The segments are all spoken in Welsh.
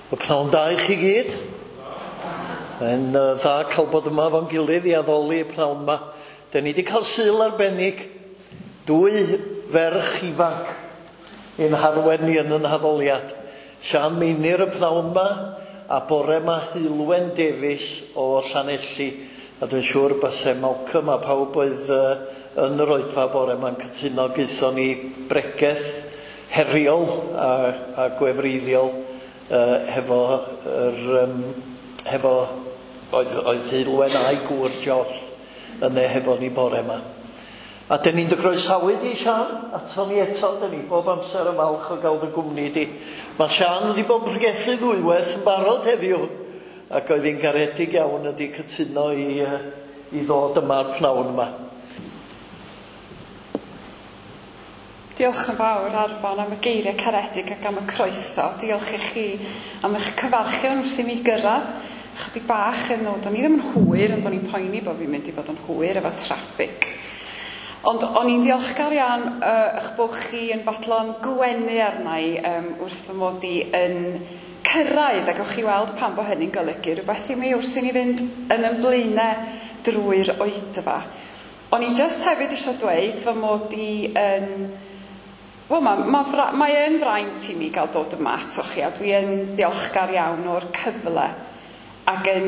Y pnawn da i chi gyd. Mae'n dda cael bod yma fo'n gilydd i addoli y pnawn yma. Dyn ni wedi cael Sul arbennig, dwy ferch ifanc i'n harwen ni yn yn haddoliad. Sian Meinir y pnawn yma, a bore yma Heulwen Davies o Llanelli. A dwi'n siŵr byse Malcolm a pawb oedd yn yr oedfa bore yma'n cytuno gaethon ni bregeth heriol a, a gwefreiddiol hefo yr hefo oedd, oedd Heulwen a'i gŵr Josh yna hefo ni bore yma. A dyn ni'n dy groesawu di, Sian, ato ni eto, dyn ni bob amser yn falch o gael dy gwmni di. Mae Sian wedi bod yn pregethu ddwywaith yn barod heddiw, ac oedd hi'n garedig iawn ydi cytuno i, i ddod yma'r pnawn yma. Diolch yn fawr Arfon am y geiriau caredig ac am y croeso. Diolch i chi am eich cyfarchion wrth i mi gyrraedd. Chydig bach yn ôl, do'n i ddim yn hwyr, ond o'n i'n poeni bod fi'n mynd i fod yn hwyr efo traffig. Ond o'n i'n ddiolchgar iawn eich bod chi yn fodlon gwenu arna i wrth fy mod i yn cyrraedd, ac o'ch chi weld pam bod hynny'n golygu rhywbeth i mi wrth i ni fynd yn yn blaenau drwy'r oedfa. O'n i jyst hefyd eisiau dweud fy mod i yn... Wel, mae yn fraint i mi gael dod yma atoch chi, a dwi yn ddiolchgar iawn o'r cyfle ac yn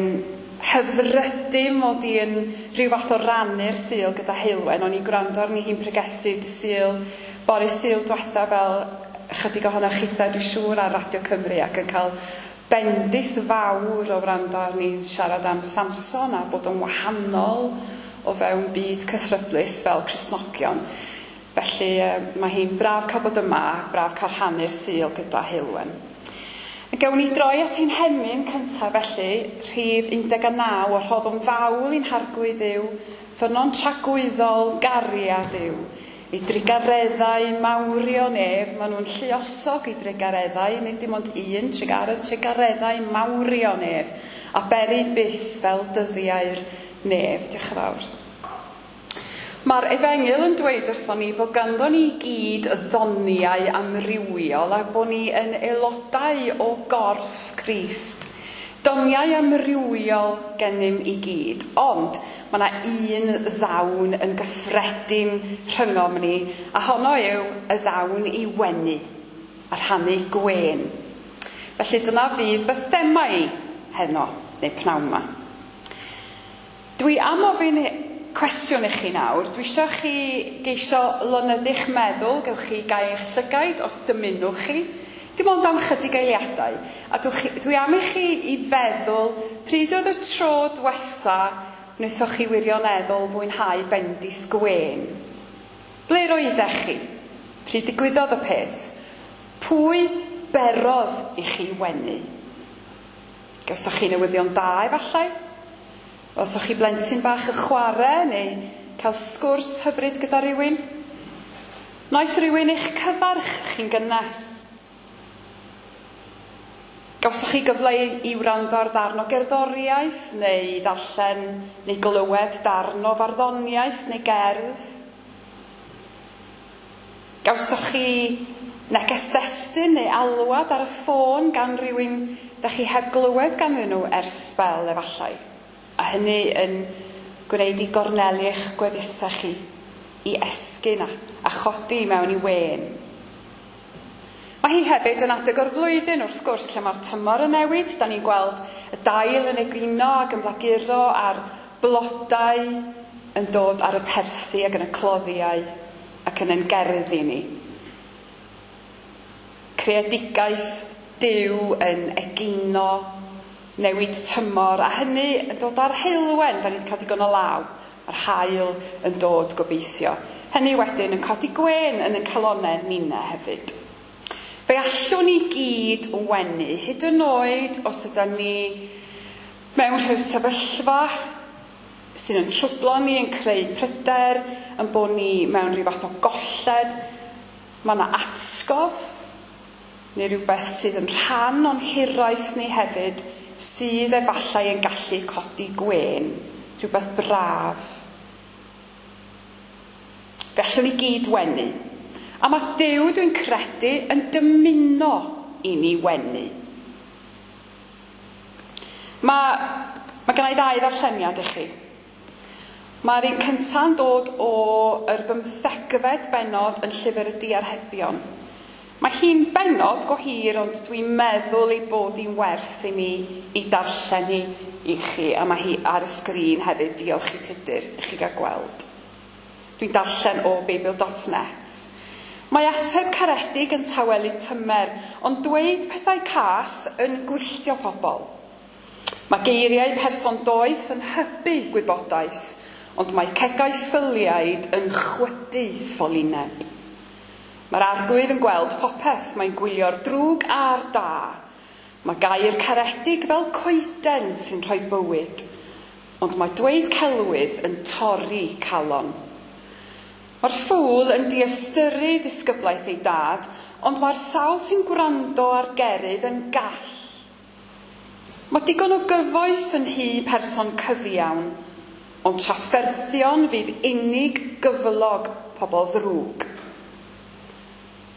hyfrydu mod i yn rhyw fath o rannu'r Sul gyda Heulwen. O'n i'n gwrando arni hi'n pregethu dy Sul, bore Sul diwetha fel chydig ohonoch chitha, dwi'n siŵr, ar Radio Cymru, ac yn cael bendith fawr o wrando arni'n siarad am Samson a bod yn wahanol o fewn byd cythryblus fel Cristnogion. Felly mae hi'n braf cael bod yma, braf cael rhannu'r Sul gyda Heulwen. Gawn ni droi at ein hemyn cyntaf felly, rhif 19, o rhoddwn fawl i'n harglwydd Dduw, ffynnon tragwyddol gariad yw. I drugareddau mawrion ef, maen nhw'n lluosog i drugareddau, nid dim ond un trugaredd, trugareddau mawrion ef, a beri byth fel dyddiau'r nef. Diolch yn fawr. Mae'r Efengyl yn dweud wrthon ni bod ganddo ni gyd ddoniau amrywiol a bod ni yn aelodau o gorff Crist. Doniau amrywiol gennym i gyd, ond mae yna un ddawn yn gyffredin rhyngom ni, a honno yw y ddawn i wenu a rhannu gwên. Felly dyna fydd fy thema i heno, neu pnawn yma. Dwi am ofyn cwestiwn i chi nawr. Dwi eisiau chi geisio lonyddu'ch meddwl, gewch chi gau eich llygaid os dymunwch chi. Dim ond am chydig eiliadau. A dwi am i chi i feddwl pryd oedd y tro diwetha wnaethoch chi wirioneddol fwynhau bendith gwên. Ble roeddech chi? Pryd ddigwyddodd y peth? Pwy berodd i chi wenu? Gawsoch chi newyddion da efallai? Os o'ch chi blentyn bach yn chwarae neu cael sgwrs hyfryd gyda rhywun? Wnaeth rhywun eich cyfarch chi'n gynnes? Gawsoch chi gyfle i wrando ar ddarn o gerddoriaeth neu ddarllen neu glywed darn o farddoniaeth neu gerdd? Gawsoch chi neges destun neu alwad ar y ffôn gan rhywun da chi heb glywed ganddyn nhw ers sbel efallai? A hynny yn gwneud i gornelu eich gwefusau chi i esgyn a chodi mewn i wên. Mae hi hefyd yn adeg o'r flwyddyn, wrth gwrs, lle mae'r tymor yn newid. Da ni'n gweld y dail yn egino ac yn blaguro a'r blodau yn dod ar y perthi ac yn y cloddiau ac yn ein gerddi ni. Creadigaeth Duw yn egino, newid tymor, a hynny yn dod ar heulwen, da ni wedi cael digon o law, a'r haul yn dod gobeithio. Hynny wedyn yn codi gwên yn y calonnau ninna hefyd. Fe allwn ni gyd wenu, hyd yn oed os ydyn ni mewn rhyw sefyllfa sydd yn trwblo ni, yn creu pryder, yn bod ni mewn rhyw fath o golled. Mae yna atgof, neu rhywbeth sydd yn rhan o'n hiraeth ni hefyd, sydd efallai yn gallu codi gwên, rhywbeth braf. Fe allwn ni gyd wenu. A mae Duw, dwi'n credu, yn dymuno i ni wenu. Mae gen i ddau ddarlleniad i chi. Mae'r un cynta'n dod o yr 15fed bennod yn Llyfr y Diarhebion. Mae hi'n bennod go hir, ond dwi'n meddwl ei bod hi'n werth i mi i darllen hi i chi, a mae hi ar y sgrin hefyd, diolch i Tudur, i chi gael gweld. Dwi'n darllen o Beibl.net. Mae ateb caredig yn tawelu tymer, ond dweud pethau cas yn gwylltio pobl. Mae geiriau person doeth yn hybu gwybodaeth, ond mae cegau ffyliaid yn chwydu ffolineb. Mae'r arglwydd yn gweld popeth, mae'n gwylio'r drwg a'r da. Mae gair caredig fel coeden sy'n rhoi bywyd, ond mae dweud celwydd yn torri calon. Mae'r ffŵl yn diystyru disgyblaeth ei dad, ond mae'r sawl sy'n gwrando ar gerydd yn gall. Mae digon o gyfoeth yn nhŷ person cyfiawn, ond trafferthion fydd unig gyflog pobl ddrwg.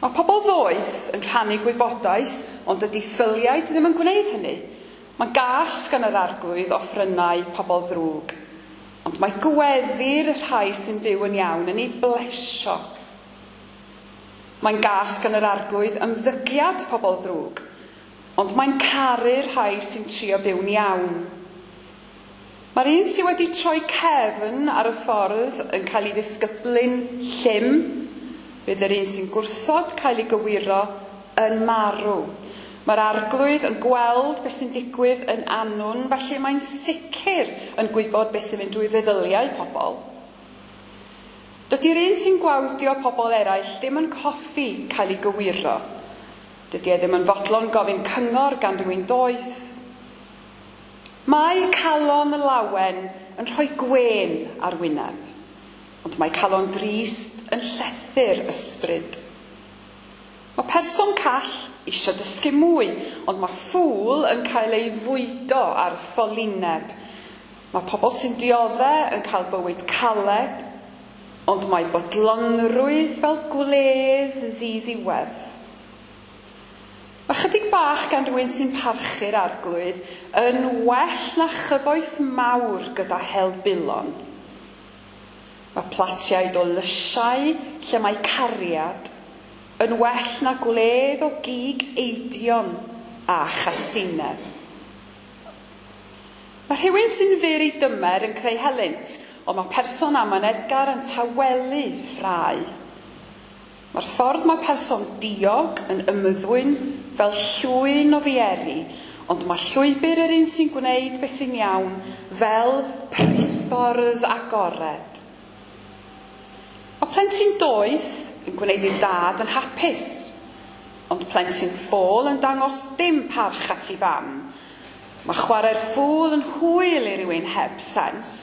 Mae pobl ddoeth yn rhannu gwybodaeth, ond dydy ffyliaid ddim yn gwneud hynny. Mae gas gan yr arglwydd offrynnau pobl ddrwg, ond mae gweddi'r rhai sy'n byw yn iawn yn ei blesio. Mae'n gas gan yr arglwydd ymddygiad pobl ddrwg, ond mae'n caru'r rhai sy'n trio byw'n iawn. Mae'r un sydd wedi troi cefn ar y ffordd yn cael ei ddisgyblu'n llym, bydd yr un sy'n gwrthod cael ei gywiro yn marw. Mae'r arglwydd yn gweld beth sy'n digwydd yn annwn, felly mae'n sicr yn gwybod beth sy'n mynd drwy feddyliau pobl. Dydy'r un sy'n gwawdio pobl eraill ddim yn coffi cael ei gywiro. Dydy e ddim yn fodlon gofyn cyngor gan rywun doeth. Mae calon lawen yn rhoi gwên ar wyneb, ond mae calon drist yn llethu'r ysbryd. Mae person call eisiau dysgu mwy, ond mae ffŵl yn cael ei fwydo ar ffolineb. Mae pobl sy'n dioddef yn cael bywyd caled, ond mae bodlonrwydd fel gwledd ddiddiwedd. Mae chydig bach gan rhywun sy'n parchu'r arglwydd yn well na chyfoeth mawr gyda helbulon. Mae platiaid o lysiau lle mae cariad yn well na gwledd o gig eidion a chasineb. Mae rhywun sy'n fyr ei dymer yn creu helynt, ond mae person amyneddgar yn tawelu ffrae. Mae'r ffordd mae person diog yn ymddwyn fel llwyn o fieri, ond mae llwybr yr un sy'n gwneud beth sy'n iawn fel pritffordd agored. Mae plentyn doeth yn gwneud ei dad yn hapus, ond plentyn ffôl yn dangos dim parch at ei fam. Mae chwarae'r ffŵl yn hwyl i rywun heb sens,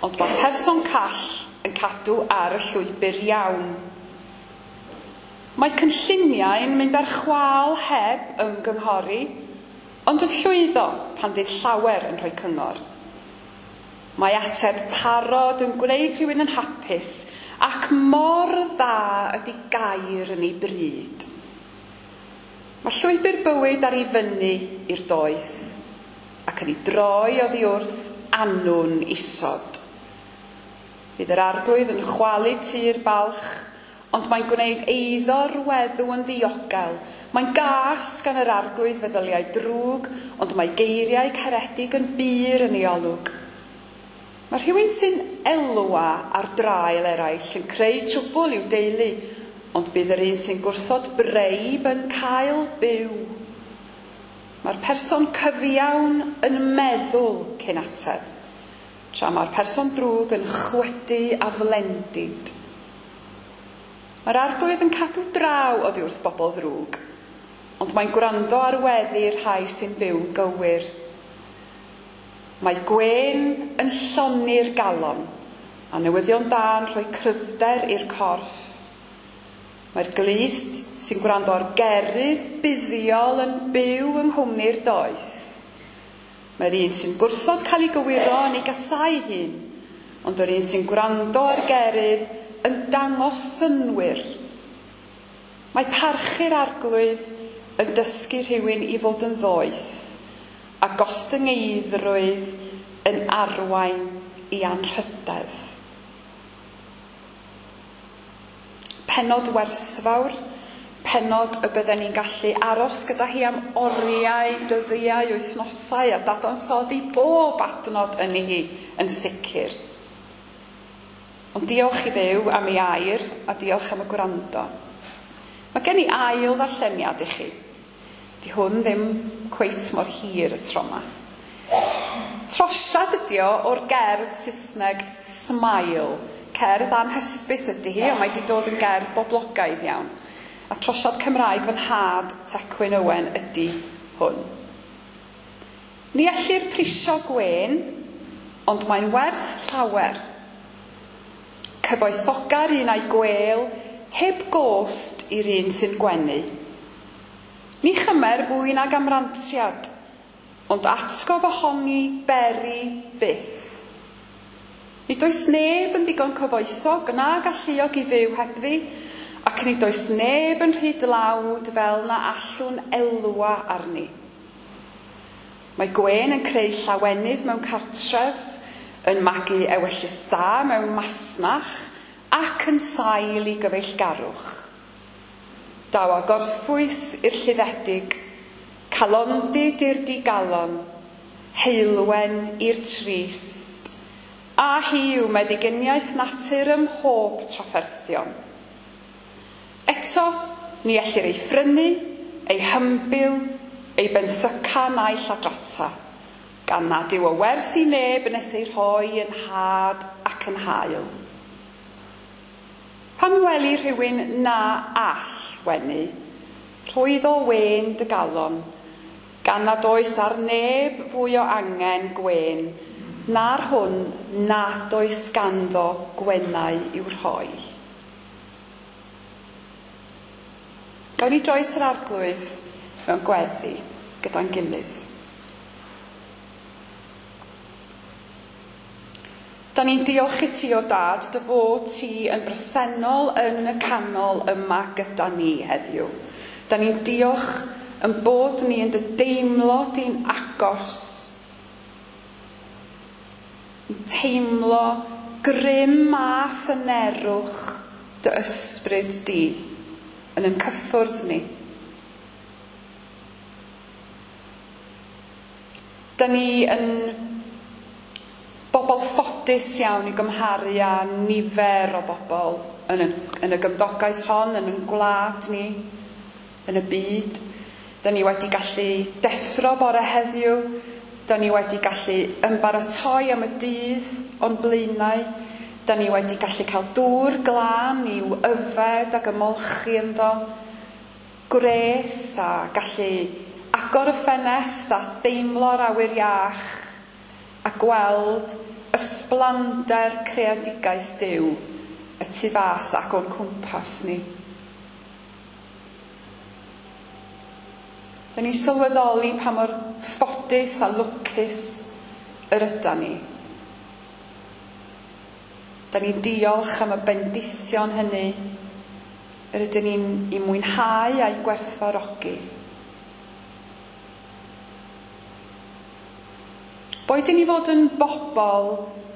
ond mae person call yn cadw ar y llwybr iawn. Mae cynlluniau'n mynd ar chwâl heb ymgynghori, ond yn llwyddo pan fydd llawer yn rhoi cyngor. Mae ateb parod yn gwneud rhywun yn hapus, ac mor dda ydy gair yn ei bryd. Mae llwybr bywyd ar ei fyny i'r doeth, ac yn ei droi oddi wrth annwn isod. Bydd yr arglwydd yn chwalu tŷ'r balch, ond mae'n gwneud eiddo'r weddw yn ddiogel. Mae'n gas gan yr arglwydd feddyliau drwg, ond mae geiriau caredig yn bur yn ei olwg. Mae rhywun sy'n elwa ar draul eraill yn creu trwbl i'w deulu, ond bydd yr un sy'n gwrthod breib yn cael byw. Mae'r person cyfiawn yn meddwl cyn ateb, tra mae'r person drwg yn chwydu aflendid. Mae'r arglwydd yn cadw draw oddi wrth bobl ddrwg, ond mae'n gwrando ar weddi'r rhai sy'n byw'n gywir. Mae gwên yn llonni'r galon, a newyddion da yn rhoi cryfder i'r corff. Mae'r glust sy'n gwrando ar gerydd buddiol yn byw yng nghwmni'r doeth. Mae'r un sy'n gwrthod cael ei gywiro yn ei gasau hun, ond yr un sy'n gwrando ar gerydd yn dangos synnwyr. Mae parchu'r arglwydd yn dysgu rhywun i fod yn ddoeth, a gostyngeiddrwydd yn arwain i anrhydedd. Pennod werthfawr, pennod y bydden ni'n gallu aros gyda hi am oriau, dyddiau, wythnosau a dadansoddi bob adnod yn hi yn sicr. Ond diolch i Dduw am ei air a diolch am y gwrando. Mae gen i ail ddarlleniad i chi. Di hwn ddim cweit mor hir y tro yma. Trosiad ydi o o'r gerdd Saesneg Smile. Cerdd anhysbys ydy hi, ond mae wedi dod yn gerdd boblogaidd iawn. A trosiad Cymraeg fy nhad, Tecwyn Owen, ydy hwn. Ni ellir prisio gwên, ond mae'n werth llawer. Cyfoethoga'r un a'i gwêl, heb gost i'r un sy'n gwenu. Ni chymer fwy nag amrantiad, ond atgof ohoni beri byth. Nid oes neb yn ddigon cyfoethog na galluog i fyw hebddi, ac nid oes neb yn rhy dlawd fel na allwn elwa arni. Mae gwên yn creu llawenydd mewn cartref, yn magu ewyllys da mewn masnach ac yn sail i gyfeillgarwch. Daw a gorffwys i'r lluddedig, calondid i'r digalon, heulwen i'r trist, a hi yw meddyginiaeth natur ym mhob trafferthion. Eto, ni ellir ei phrynu, ei hymbil, ei benthyca na'i lladrata, gan nad yw o werth i neb nes ei rhoi yn had ac yn hael. Pan weli rhywun na all wenu, rhoi iddo wên dy galon, gan nad oes ar neb fwy o angen gwên, na'r hwn nad oes ganddo gwenau i'w rhoi. Gawn ni droi at yr Arglwydd mewn gweddi gyda'n gilydd. Da ni'n diolch i ti o Dad, dy fod ti yn bresennol yn y canol yma gyda ni heddiw. Da ni'n diolch yn bod ni yn dy deimlo di'n agos. Yn teimlo grym a thynerwch dy ysbryd di yn ein cyffwrdd ni. Da ni yn bobl ffodus iawn i gymharu â nifer o bobl yn y gymdogaeth hon, yn ein gwlad ni, yn y byd. Da ni wedi gallu deffro bore heddiw, da ni wedi gallu ymbaratoi am y dydd o'n blaenau, da ni wedi gallu cael dŵr glân i'w yfed ac ymolchi ynddo, gwres a gallu agor y ffenest a theimlo'r awyr iach a gweld ysblander creadigaeth Duw y tu fas ac o'n cwmpas ni. Da ni'n sylweddoli pa mor ffodus a lwcus yr ydan ni. Da ni'n diolch am y bendithion hynny yr ydyn ni'n ei mwynhau a'i gwerthfawrogi. Boed i ni fod yn bobl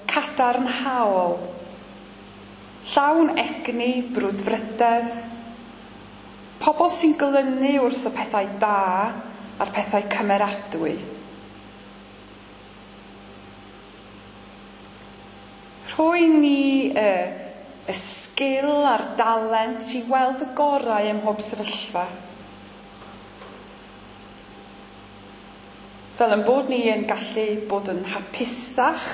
cadarnhaol, llawn egni, brwdfrydedd, pobl sy'n glynu wrth y pethau da a'r pethau cymeradwy. Rhoi ni y sgil a'r dalent i weld y gorau ym mhob sefyllfa. Fel yn bod ni yn gallu bod yn hapusach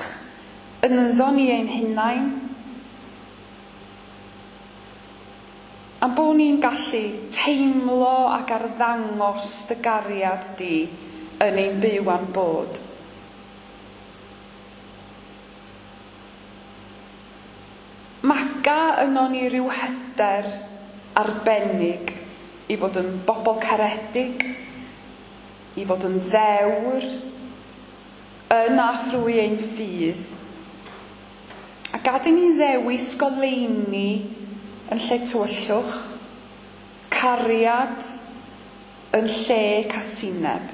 ynddo ni ein hunain. A'n bod ni'n gallu teimlo ac arddangos dy gariad di yn ein byw a'n bod. Maga yno ni ryw hyder arbennig i fod yn bobl caredig, i fod yn ddewr, yn a thrwy ein ffydd. A gad i ni ddewis goleuni yn lle tywyllwch, cariad yn lle casineb.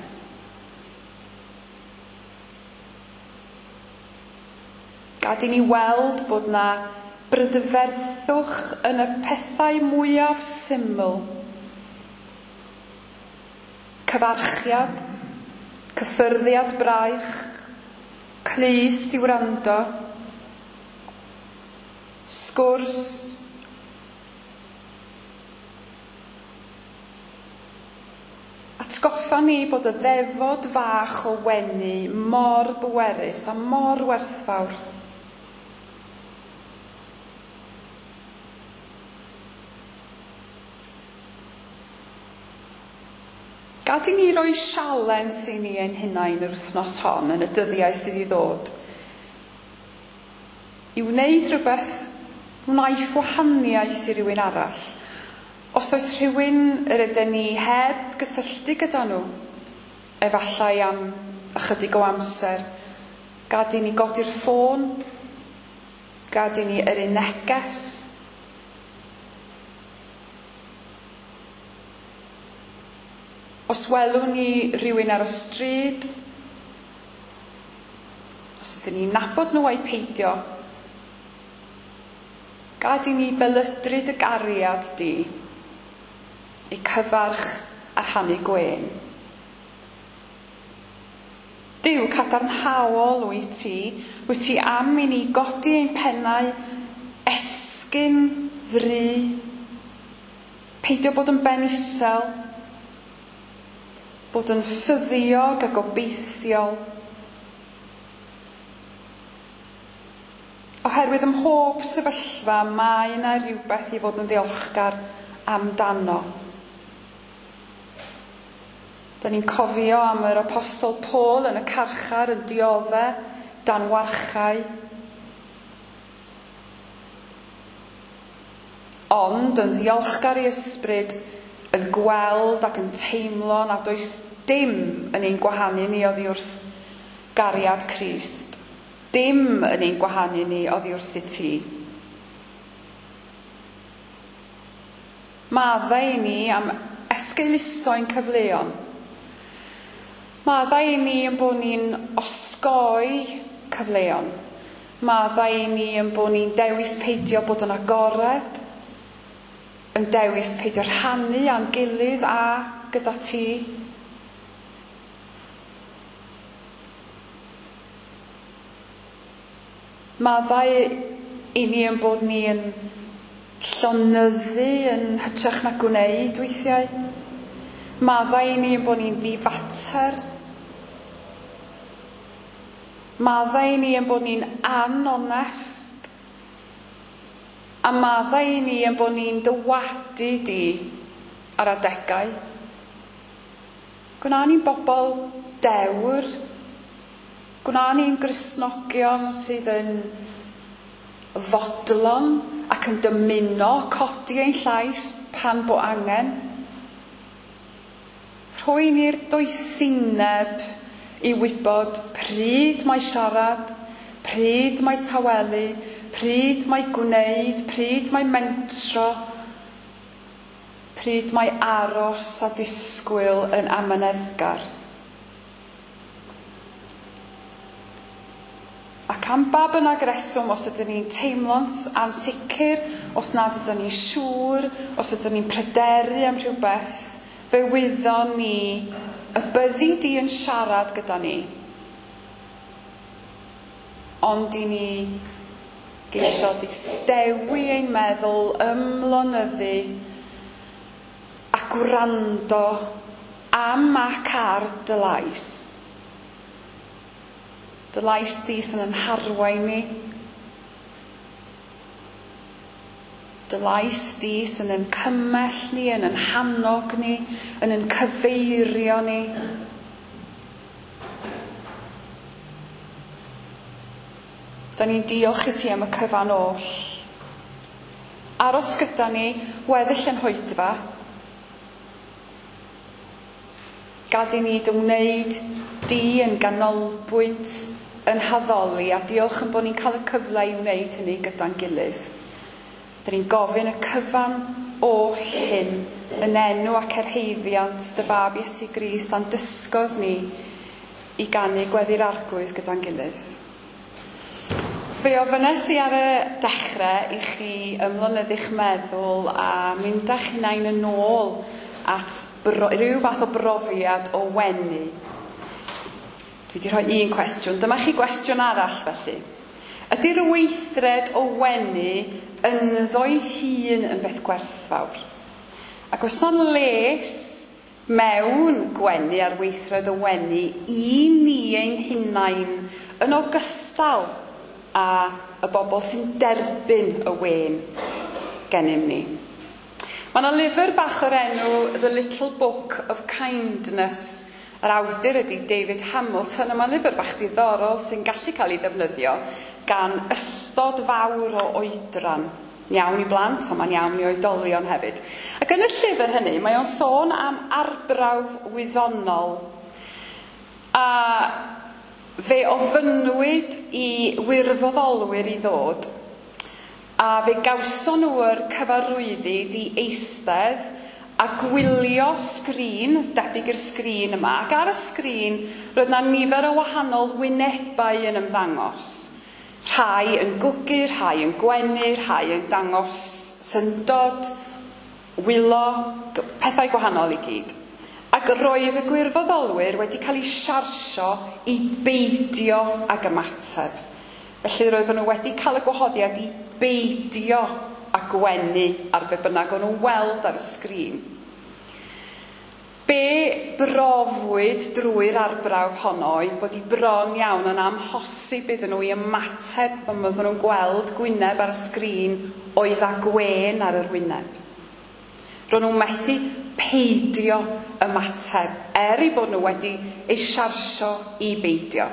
Gad i ni weld bod na brydferthwch yn y pethau mwyaf syml. Cyfarchiad, cyffyrddiad braich, clust i wrando, sgwrs, Atgoffa ni bod y ddefod fach o wenu mor bwerus a mor werthfawr. Gad i ni roi sialens i ni ein hunain yr wythnos hon yn y dyddiau sydd i ddod. I wneud rhywbeth wnaiff wahaniaeth i rywun arall. Os oes rhywun yr ydyn ni heb gysylltu gyda nhw, efallai am ychydig o amser, gad i ni godi'r ffôn, gad i ni yrru neges. Os welwn ni rhywun ar y stryd, os ydyn ni'n nabod nhw ai peidio, gad i ni belydru dy gariad di, eu cyfarch a rhannu gwên. Duw cadarnhaol wyt ti, wyt ti am i ni godi ein pennau, esgyn fry, peidio bod yn ben isel, bod yn ffyddiog a gobeithiol. Oherwydd ym mhob sefyllfa mae yna rhywbeth i fod yn ddiolchgar amdano. Da ni'n cofio am yr apostol Paul yn y carchar yn diodde dan warchau. Ond yn ddiolchgar i ysbryd, yn gweld ac yn teimlo nad oes dim yn ein gwahanu ni oddi wrth gariad Crist. Dim yn ein gwahanu ni oddi wrth ti. Maddau i ni am esgeuluso ein cyfleon. Maddau i ni yn bod ni'n osgoi cyfleon. Maddau i ni yn bod ni'n dewis peidio bod yn agored, yn dewis peidio rhannu â'n gilydd a gyda ti. Maddau i ni yn bod ni yn llonyddu yn hytrach na gwneud weithiau. Maddau i ni yn bod ni'n ddifater. Maddau i ni yn bod ni'n anonest. A maddau i ni yn bod ni'n dywadu di ar adegau. Gwna ni'n bobl dewr. Gwna ni'n Gristnogion sydd yn fodlon ac yn dymuno codi ein llais pan bo angen. Rhoi ni'r doethineb i wybod pryd mae siarad, pryd mae tawelu, pryd mae gwneud, pryd mae mentro, pryd mae aros a disgwyl yn amyneddgar. Ac am ba bynnag reswm, os ydyn ni'n teimlo'n ansicr, os nad ydyn ni'n siŵr, os ydyn ni'n pryderu am rhywbeth, fe wyddon ni y byddi di yn siarad gyda ni. Ond i ni geisio ddistewi ein meddwl, ymlonyddu a gwrando am ac ar dy lais. Dy lais di sy'n yn harwain ni. Dy lais di sy'n yn cymell ni, yn yn hannog ni, yn yn cyfeirio ni. Da ni'n diolch i ti am y cyfan oll. Aros gyda ni, weddill yn hoedfa. Gad i ni dy wneud di yn ganolbwynt yn haddoli, a diolch yn bod ni'n cael y cyfle i wneud hynny gyda'n gilydd. Da ni'n gofyn y cyfan oll hyn yn enw ac erheiddiant dy fab Iesu Grist a'n dysgodd ni i ganu gweddi'r Arglwydd gyda'n gilydd. Fe ofynnes i ar y dechrau i chi ymlonyddu'ch meddwl a mynd â'ch hunain yn ôl at rhyw fath o brofiad o wenu. Dwi wedi rhoi un cwestiwn. Dyma chi gwestiwn arall felly. Ydy'r weithred o wenu ynddo'i hun yn beth gwerthfawr? Ac oes 'na les mewn gwenu a'r weithred o wenu i ni ein hunain yn ogystal â y bobl sy'n derbyn y wên gennym ni? Mae yna lyfr bach o'r enw The Little Book of Kindness. Yr awdur ydy David Hamilton, a mae'n lyfr bach diddorol sy'n gallu cael ei ddefnyddio gan ystod fawr o oedran. Iawn i blant, ond mae'n iawn i oedolion hefyd. Ac yn y llyfr hynny, mae o'n sôn am arbrawf wyddonol. A fe ofynnwyd i wirfoddolwyr i ddod, a fe gawson nhw'r cyfarwyddyd i eistedd a gwylio sgrin, debyg i'r sgrin yma, ac ar y sgrin roedd 'na nifer o wahanol wynebau yn ymddangos. Rhai yn gwgu, rhai yn gwenu, rhai yn dangos syndod, wylo, pethau gwahanol i gyd. Ac roedd y gwirfoddolwyr wedi cael eu siarsio i beidio ag ymateb. Felly roedden nhw wedi cael y gwahoddiad i beidio a gwenu ar be bynnag o'n nhw'n weld ar y sgrin. Be brofwyd drwy'r arbrawf honno oedd bod i bron iawn yn amhosib iddyn nhw i ymateb pan oedden nhw'n gweld gwyneb ar y sgrin oedd â gwên ar yr wyneb. Ro'n nhw'n methu peidio ymateb, er eu bod nhw wedi eu siarsio i beidio.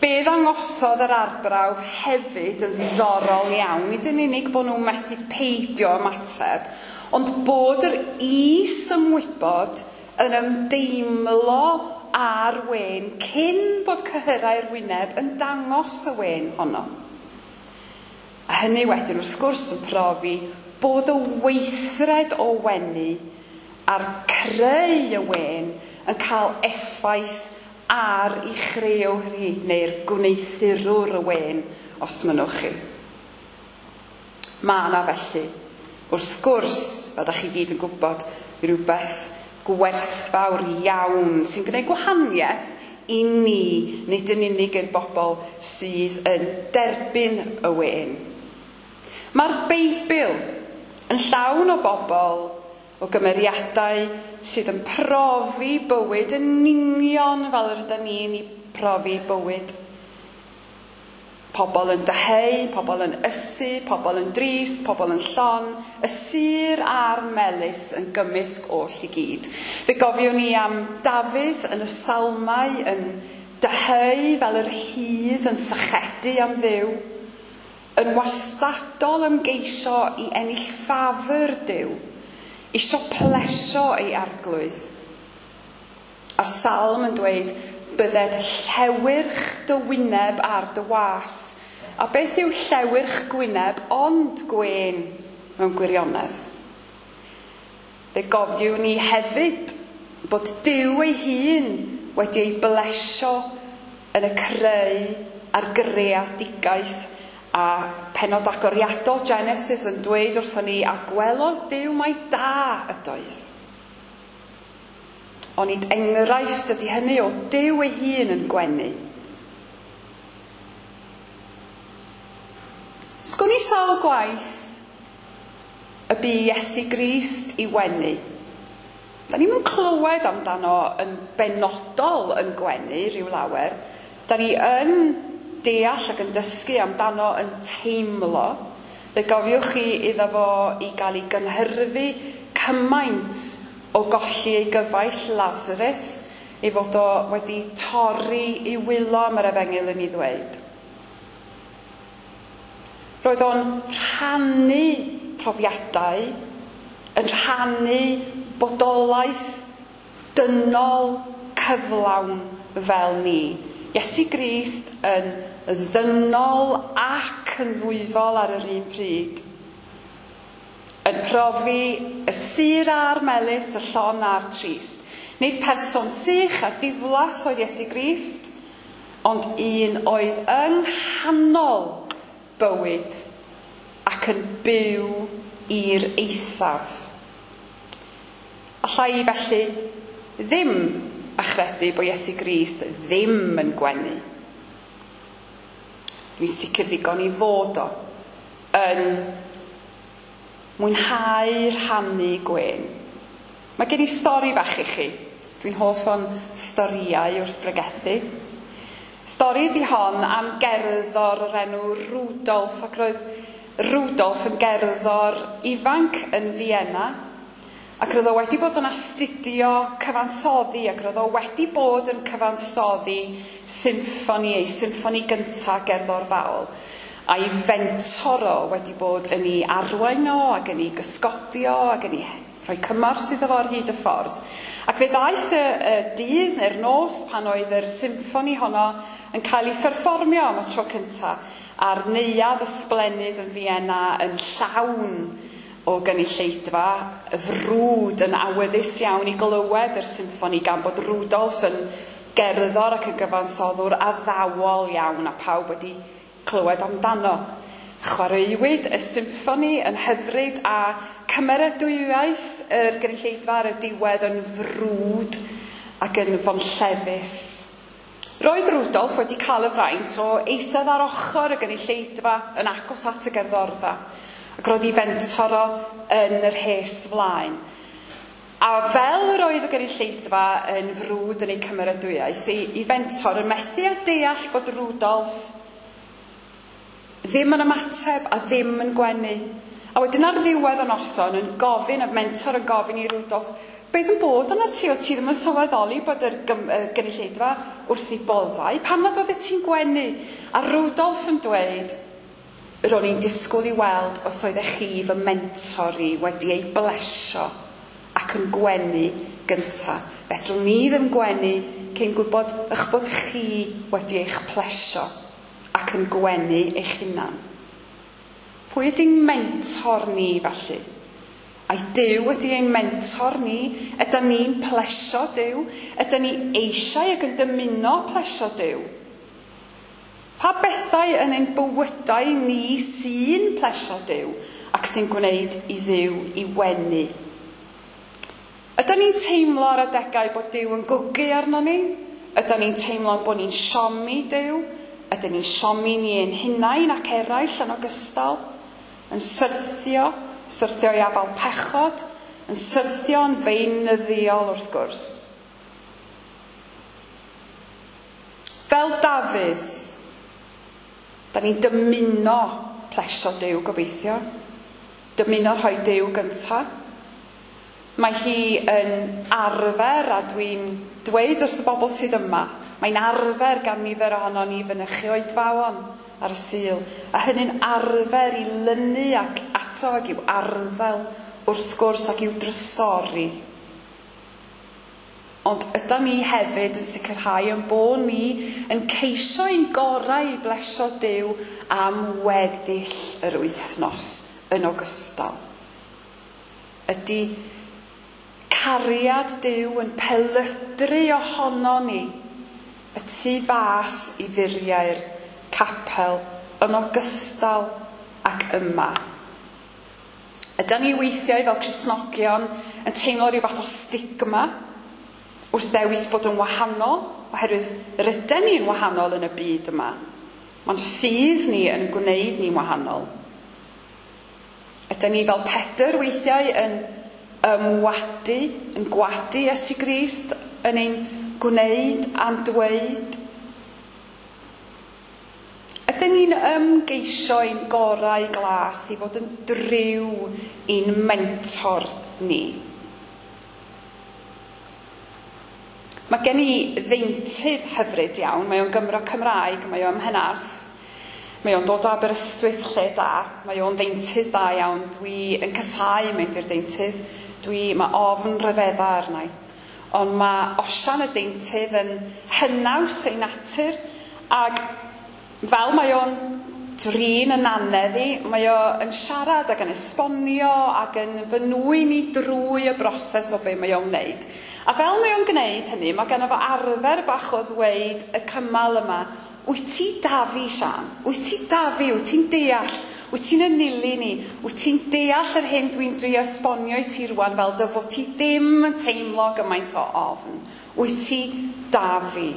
Be ddangosodd yr arbrawf hefyd yn ddiddorol iawn, nid yn unig bod nhw'n methu peidio ymateb, ond bod yr is-ymwybod yn ymdeimlo â'r wên cyn bod cyhyrau'r wyneb yn dangos y wên honno. A hynny wedyn wrth gwrs yn profi bod y weithred o wenu a'r creu y wên yn cael effaith ar ei chrëwr hi, neu'r gwneuthurwr y wên, os mynnwch chi. Mae yna felly, wrth gwrs, fel dach chi gyd yn gwybod, rhywbeth gwerthfawr iawn sy'n gwneud gwahaniaeth i ni, nid yn unig i'r bobl sydd yn derbyn y wên. Mae'r Beibl yn llawn o bobl, o gymeriadau sydd yn profi bywyd yn union fel yr ydyn ni'n ei profi bywyd. Pobl yn dyheu, pobl yn ysu, pobl yn drist, pobl yn llon, y sur a'r melys yn gymysg oll i gyd. Fe gofiwn ni am Dafydd yn y Salmau yn dyheu fel yr hydd yn sychedu am Dduw, yn wastadol ymgeisio i ennill ffafr Duw, isio plesio ei arglwydd. A'r salm yn dweud, bydded llewyrch dy wyneb ar dy was. A beth yw llewyrch gwyneb ond gwên mewn gwirionedd? Fe gofiwn ni hefyd bod Duw ei hun wedi ei blesio yn y creu a'r greadigaeth, a pennod agoriadol Genesis yn dweud wrthon ni, a gwelodd Duw mai da ydoedd. Onid enghraifft ydy hynny o Duw ei hun yn gwenu. Sgwn i sawl gwaith y bu Iesu Grist i wenu. Da ni'm yn clywed amdano yn benodol yn gwenu rhyw lawer. Da ni yn deall ac yn dysgu amdano yn teimlo. Fe gofiwch chi iddo fo i gael ei gynhyrfu cymaint o golli ei gyfaill Lazarus, ei fod o wedi torri i wylo, mae'r efengyl yn ei ddweud. Roedd o'n rhannu profiadau, yn rhannu bodolaeth dynol cyflawn fel ni. Iesu Grist yn ddynol ac yn ddwyfol ar yr un pryd. Yn profi y sur a'r melys, y llon a'r trist. Nid person sych a diflas oedd Iesu Grist, ond un oedd yng nghanol bywyd ac yn byw i'r eithaf. Alla i felly ddim achredu bod Iesu Grist ddim yn gwenu. Dwi'n sicr ddigon i fod o yn mwynhau rhannu gwên. Mae gen i stori bach i chi. Dwi'n hoff o'n storïau wrth bregethu. Stori ydi hon am gerddor o'r enw Rudolf, ac roedd Rudolf yn gerddor ifanc yn Vienna, ac roedd o wedi bod yn astudio cyfansoddi, ac roedd o wedi bod yn cyfansoddi symffoni, ei symffoni gyntaf gerddorfaol. A'i fentor o wedi bod yn ei arwain o, ac yn ei gysgodio, ac yn ei rhoi cymorth iddo fo ar hyd y ffordd. Ac fe ddaeth y dydd neu'r nos pan oedd yr symffoni honno yn cael ei pherfformio am y tro cyntaf, a'r neuadd ysblennydd yn Vienna yn llawn o gynulleidfa, y frwd yn awyddus iawn i glywed yr symffoni gan bod Rudolf yn gerddor ac yn gyfansoddwr addawol iawn a pawb wedi clywed amdano. Chwaraewyd y symffoni yn hyfryd a cymeradwyaeth yr gynulleidfa ar y diwedd yn frwd ac yn fonllefus. Roedd Rudolf wedi cael y fraint o eistedd ar ochr y gynulleidfa yn agos at y gerddorfa, ac roedd ei fentor o yn yr rhes flaen. A fel yr oedd y gynulleidfa yn frwd yn ei cymeradwyaeth, ei fentor yn methu a deall bod Rudolf ddim yn ymateb a ddim yn gwenu. A wedyn ar ddiwedd y noson yn gofyn, y mentor yn gofyn i Rudolf, beth yn bod arna ti? O ti ddim yn sylweddoli bod yr gynulleidfa wrth ei boddau? Pam nad oeddet ti'n gwenu? A Rudolf yn dweud, ro'n i'n disgwyl i weld os oeddech chi fy mentor i wedi ei blesio ac yn gwenu gynta. Fedrwn ni ddim gwenu cyn gwybod eich bod chi wedi eich plesio ac yn gwenu eich hunan. Pwy ydy'n mentor ni felly? Ai Duw ydy ein mentor ni? Ydy ni'n plesio Duw? Ydy ni eisiau ac yn dymuno plesio Duw? Pa bethau yn ein bywydau ni sy'n plesio Duw ac sy'n gwneud i Dduw i wenu? Ydy ni'n teimlo ar adegau bod Duw yn gwgu arno ni? Ydy ni'n teimlo bod ni'n siomi Duw? Ydy ni'n siomi ni ein hunain ac eraill yn ogystal? Yn syrthio i afal pechod, yn syrthio yn feunyddiol wrth gwrs. Fel Dafydd, da ni'n dymuno plesio Duw gobeithio, dymuno rhoi Duw gynta. Mae hi yn arfer, a dwi'n dweud wrth y bobl sydd yma, mae'n arfer gan nifer ohono ni fynychu oedfaon ar y Sul, a hynny'n arfer i lynu ac ato ac i'w arddel wrth gwrs ac i'w drysori. Ond ydan ni hefyd yn sicrhau ein bod ni yn ceisio ein gorau i blesio Duw am weddill yr wythnos yn ogystal. Ydy cariad Duw yn pelydru ohono ni y tu fas i furiau'r capel yn ogystal ac yma. Ydan ni weithiau fel Cristnogion yn teimlo rhyw fath o stigma wrth ddewis bod yn wahanol, oherwydd rydyn ni'n wahanol yn y byd yma. Mae'n ffydd ni yn gwneud ni'n wahanol. Ydan ni fel Pedr weithiau yn ymwadu, yn gwadu Iesu Grist, yn ein gwneud a'n dweud. Ydyn ni'n ymgeisio ein gorau glas i fod yn driw i'n mentor ni? Mae gen i ddeintydd hyfryd iawn, mae o'n Gymro Cymraeg, mae o'n Mhenarth, mae o'n dod o Aberystwyth lle da, mae o'n ddeintydd da iawn, dwi yn casáu mynd i'r deintydd, mae ofn rhyfedda arna i. Ond mae Osian y deintydd yn hynaws ei natur, ac fel mae o'n Swrin yn anedd i, mae o yn siarad ac yn esbonio ac yn fy nwyn i drwy y broses o be mae o'n wneud. A fel mae o'n gwneud hynny, mae gynno fo arfer bach o ddweud y cymal yma, wyt ti da fi, Siân? Wyt ti da fi? Wyt ti'n deall? Wyt ti'n enilyn i? Wyt ti'n deall yr hyn dwi'n drio esbonio i ti rwan fel dy fod ti ddim yn teimlo gymaint o ofn? Wyt ti da fi?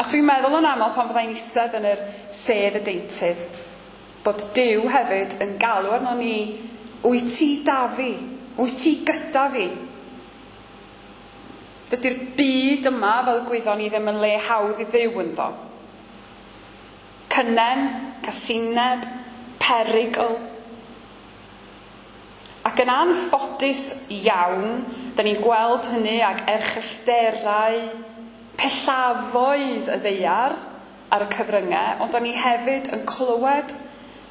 A dwi'n meddwl yn aml pan fyddai'n eistedd yn yr sedd y deintydd, bod Duw hefyd yn galw arno ni, wyt ti da fi? Wyt ti gyda fi? Dydy'r byd yma, fel y gwyddon ni, ddim yn le hawdd i fyw ynddo. Cynnen, casineb, perygl. Ac yn anffodus iawn, da ni'n gweld hynny ag erchyllterau, pellafoedd y ddaear ar y cyfryngau, ond da ni hefyd yn clywed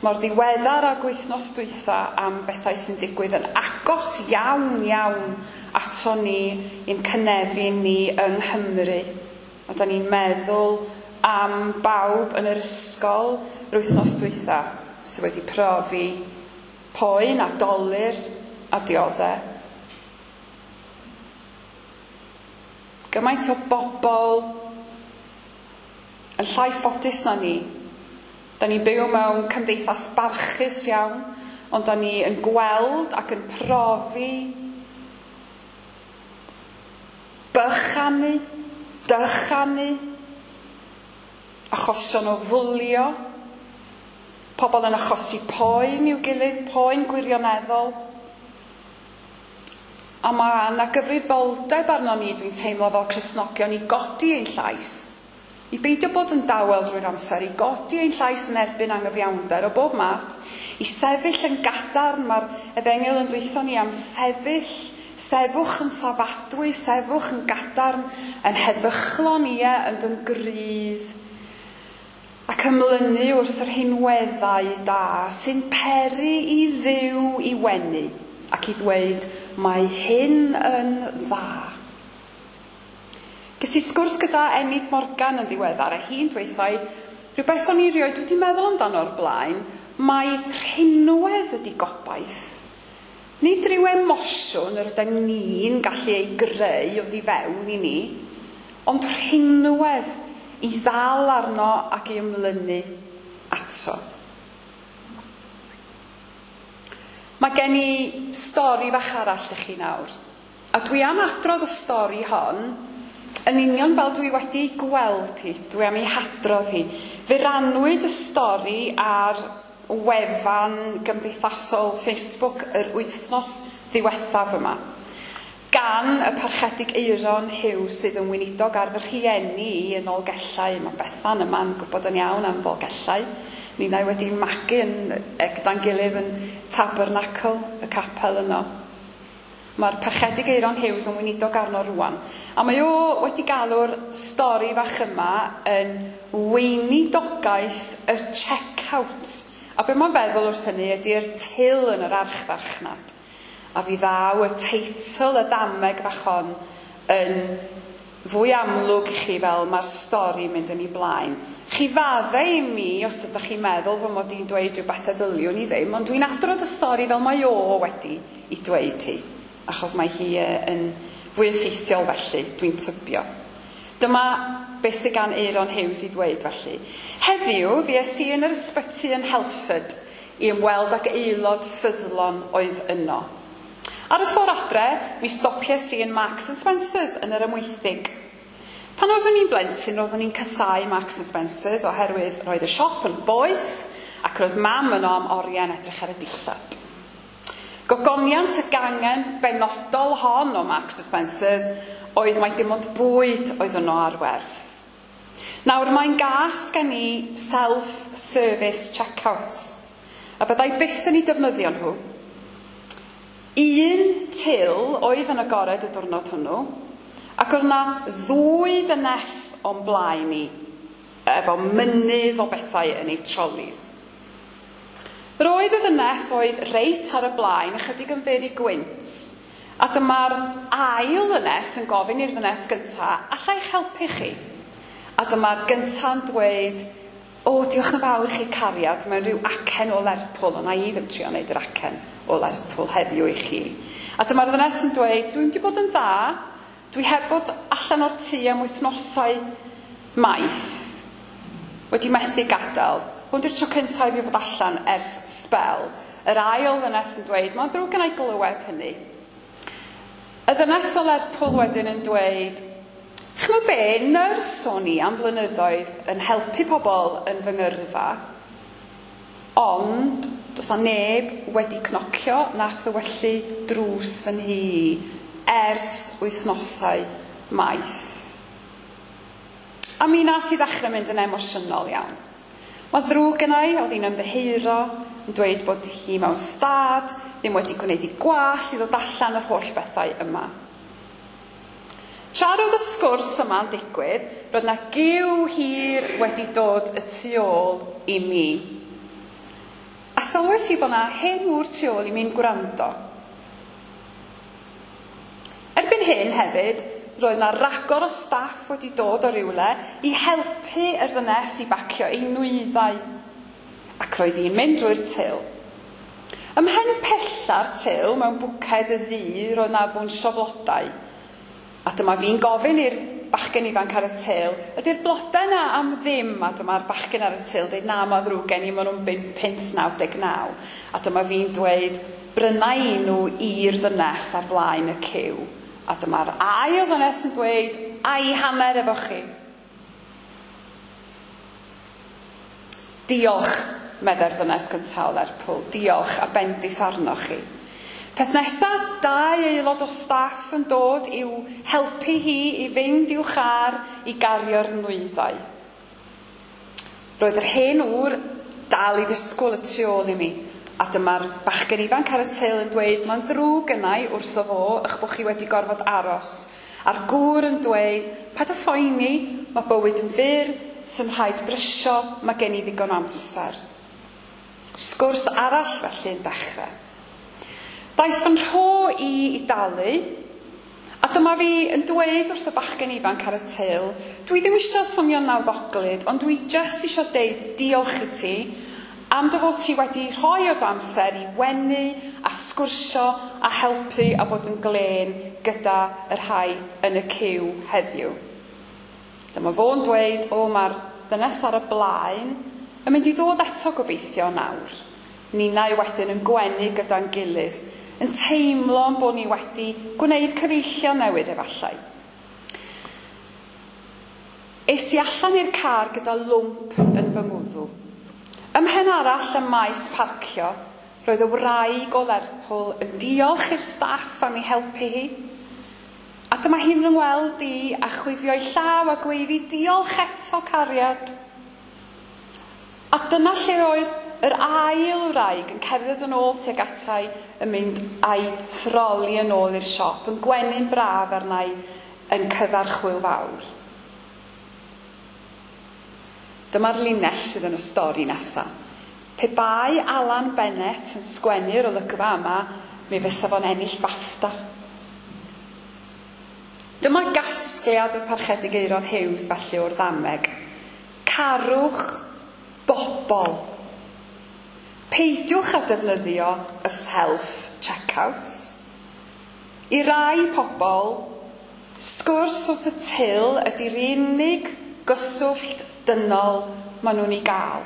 mor ddiweddar ag wythnos dwytha am bethau sy'n digwydd yn agos iawn iawn ato ni i'n cynefin ni yng Nghymru. A da ni'n meddwl am bawb yn yr ysgol yr wythnos dwytha sydd wedi profi poen a dolur a dioddef. Gymaint o bobl yn llai ffodus na ni. Da ni'n byw mewn cymdeithas barchus iawn, ond da ni yn gweld ac yn profi bychanu, dychanu, achosion o fwlio, pobl yn achosi poen i'w gilydd, poen gwirioneddol. A mae yna gyfrifoldeb arno ni, dwi'n teimlo fel Cristnogion, i godi ein llais. I beidio bod yn dawel drwy'r amser, i godi ein llais yn erbyn angyfiawnder o bob math, i sefyll yn gadarn, mae'r efengyl yn dweithio ni am sefyll, sefwch yn safadwy, sefwch yn gadarn, yn heddychlon, ie, yn gryf, ac ymlynu wrth yr rhinweddau da sy'n peri i Dduw i wenu ac i ddweud, mae hyn yn dda. Ges i sgwrs gyda Enid Morgan yn ddiweddar, a hi'n dweithio, rhywbeth o'n i rioed wedi meddwl amdano o'r blaen, mae rhinwedd ydi gobaith. Nid rhyw emosiwn yr ydyn ni'n gallu ei greu oddi fewn i ni, ond rhinwedd i ddal arno ac i ymlynu ato. Mae gen i stori fach arall i chi nawr. A dwi am adrodd y stori hon yn union fel dwi wedi gweld hi. Dwi am ei hadrodd hi. Fe rannwyd y stori ar wefan gymdeithasol Facebook yr wythnos ddiwethaf yma, gan y Parchedig Eiron Hughes sydd yn weinidog ar fy rhieni i yn Nolgellau. Mae Bethan yma'n gwybod yn iawn am Ddolgellau. Ninnau wedi'n magu yn, gyda'n gilydd yn Tabernacl, y capel yno. Mae'r Parchedig Eiron Hughes yn weinidog arno rwan. A mae o wedi galw'r stori fach yma yn weinidogaeth y check-out. A be mae'n feddwl wrth hynny ydy'r til yn yr archfarchnad. A fi ddaw y teitl y ddameg fach hon yn fwy amlwg i chi fel mae'r stori mynd yn ei blaen. Chi faddau i mi os ydych chi'n meddwl fy mod i'n dweud rhywbeth y ddyliwn i ddim, ond dwi'n adrodd y stori fel mae o wedi i dweud hi, achos mae hi yn fwy effeithiol felly, dwi'n tybio. Dyma beth sydd gan Eiron Hughes i ddweud felly. Heddiw, fues i yn yr ysbyty yn Helford i ymweld ag aelod ffyddlon oedd yno. Ar y ffordd adre, mi stopies i yn Marks and Spencer's yn yr Amwythig. Pan oeddwn i'n blentyn, roeddwn i'n casáu Marks and Spencer's oherwydd roedd y siop yn boeth ac roedd mam yno am oriau yn edrych ar y dillad. Gogoniant y gangen benodol hon o Marks and Spencer's oedd mai dim ond bwyd oedd yno ar werth. Nawr mae'n gas gen i self-service checkouts, a byddai byth yn ei defnyddio nhw. Un til oedd yn agored y diwrnod hwnnw, ac oedd yna ddwy ddynes o'n blaen i, efo mynydd o bethau yn ei trolleys. Roedd y ddynes oedd reit ar y blaen, ychydig yn fyr i gwynt, a dyma'r ail ddynes yn gofyn i'r ddynes gynta, alla i'ch helpu chi? A dyma'r gynta'n dweud, O, diolch yn fawr i chi cariad, mewn rhyw acen o Lerpwl, ond na i ddim trio wneud yr acen o Lerpwl heddiw i chi. A dyma'r ddynes yn dweud, dwi'n wedi bod yn dda, dwi heb fod allan o'r tŷ am wythnosau maith, wedi methu gadael. Hwn di'r tro cyntaf i fi fod allan ers sbel. Yr ail ddynes yn dweud, mae'n ddrwg gen i glywed hynny. Y ddynes o Lerpwl wedyn yn dweud, ch'mo be, nyrs o'n i am flynyddoedd yn helpu pobl yn fy ngyrfa, ond does 'na neb wedi cnocio na thywyllu drws fy nhŷ i ers wythnosau maith. A mi nath i ddechrau mynd yn emosiynol iawn. Mae'n ddrwg genna i, oedd hi'n ymddiheuro, yn dweud bod hi mewn stad, ddim wedi gwneud ei gwallt i ddod allan yr holl bethau yma. Tra roedd y sgwrs yma'n digwydd, roedd 'na giw hir wedi dod y tu ôl i mi. A sylwes i bod 'na hen ŵr tu ôl i mi'n gwrando. Erbyn hyn hefyd, roedd 'na ragor o staff wedi dod o rywle i helpu yr ddynes i bacio ei nwyddau. Ac roedd hi'n mynd drwy'r til. Ym mhen pella'r til, mewn bwced y ddu, roedd 'na fwnsio flodau. A dyma fi'n gofyn i'r bachgen ifanc ar y til, ydy'r blodau yna am ddim? A dyma'r bachgen ar y til dweud, na, mae'n ddrwg gen i, maen nhw'n 5.99. A dyma fi'n dweud, bryna i nhw i'r ddynes ar flaen y ciw. A dyma'r ail ddynes yn dweud, a'i hanner efo chi. Diolch, meddai'r ddynes gyntaf o Lerpwl, diolch a bendith arnoch chi. Peth nesaf, dau aelod o staff yn dod i'w helpu hi i fynd i'w char i gario'r nwyddau. Roedd yr hen ŵr dal i ddisgwyl y tu ôl i mi, a dyma'r bachgen ifanc ar y til yn dweud, mae'n ddrwg gynna i wrtho fo eich bod chi wedi gorfod aros. A'r gŵr yn dweud, paid â phoeni, mae bywyd yn fyr, sy'n rhaid brysio, mae gen i ddigon amser. Sgwrs arall felly yn dechrau. Daeth fy nhro i i dalu, a dyma fi yn dweud wrth y bachgen ifanc ar y til, dwi ddim eisiau swnio'n nawddoglyd, ond dwi jyst eisiau deud diolch i ti am dy fod ti wedi rhoi o dy amser i wenu a sgwrsio a helpu a bod yn glên gyda y rhai yn y ciw heddiw. Dyma fo'n dweud, o, mae'r ddynes ar y blaen yn mynd i ddod eto gobeithio nawr. Ninnau wedyn yn gwenu gyda'n gilydd, yn teimlo yn bod ni wedi gwneud cyfeillion newydd efallai. Es i allan i'r car gyda lwmp yn fy ngwddw. Ym mhen arall ym maes parcio, roedd y wraig o Lerpwl yn diolch i'r staff am ei helpu hi. A dyma hi'n fy ngweld i a chwifio'i llaw a gweiddi, diolch eto cariad. A dyna lle oedd yr ail wraig yn cerdded yn ôl tuag atai yn mynd a'i throli yn ôl i'r siop, yn gwenu'n braf arna i yn cyfarch hwyl fawr. Dyma'r linell sydd yn y stori nesa. Pe bai Alan Bennett yn sgwennu'r olygfa yma, mi fysa fo'n ennill BAFTA. Dyma gasgliad y Parchedig Aeron Hughes felly o'r ddameg. Carwch bobl. Peidiwch â defnyddio y self-checkouts. I rai pobl, sgwrs wrth y til ydy'r unig gyswllt dynol maen nhw'n ei gael.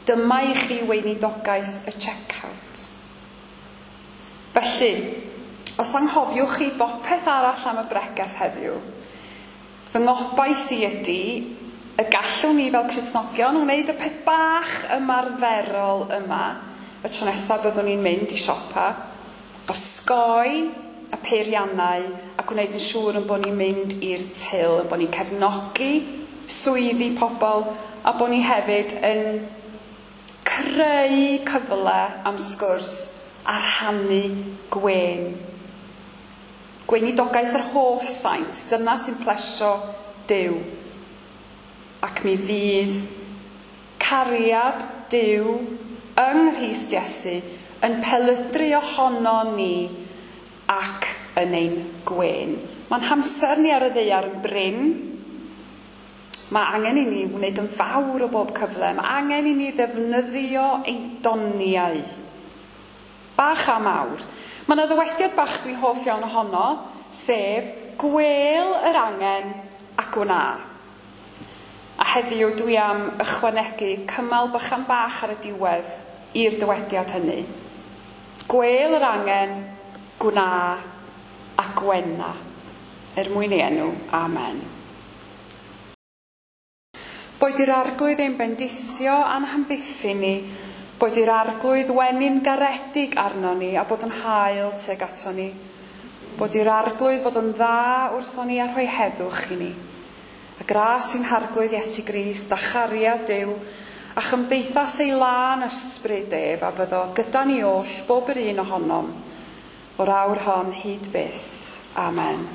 Dyma i chi weinidogaeth y checkout. Felly, os anghofiwch chi bopeth arall am y bregeth heddiw, fy ngobaith i ydy y gallwn ni fel Cristnogion wneud y peth bach ymarferol yma y tro nesaf byddwn ni'n mynd i siopa, osgoi y peiriannau a gwneud yn siŵr yn bod ni'n mynd i'r til, yn bod ni'n cefnogi swyddi pobl a bod ni hefyd yn creu cyfle am sgwrs a rhannu gwên. Gweinidogaeth yr holl saint, dyna sy'n plesio Duw. Ac mi fydd cariad Duw yng Nghrist Iesu yn pelydru ohono ni ac yn ein gwên. Mae'n hamser ni ar y ddaear yn brin. Mae angen i ni wneud yn fawr o bob cyfle. Mae angen i ni ddefnyddio ein doniau. Bach a mawr. Mae yna ddywediad bach dwi'n hoff iawn ohono, sef gwel yr angen a gwna. A heddiw dwi am ychwanegu cymal bychan bach ar y diwedd i'r dywediad hynny. Gwel yr angen, gwna a gwena. Er mwyn ei enw, amen. Boed i'r arglwydd ein bendithio a'n hamddiffyn ni, boed i'r arglwydd wenu'n garedig arno ni a bod yn hael tuag ato ni. Bod i'r arglwydd fod yn dda wrtho ni a rhoi heddwch i ni. A gras i'n harglwydd Iesu Grist a chariad Duw a chymdeithas ei lân ysbryd ef a fyddo gyda ni oll bob yr un ohonom o'r awr hon hyd byth. Amen.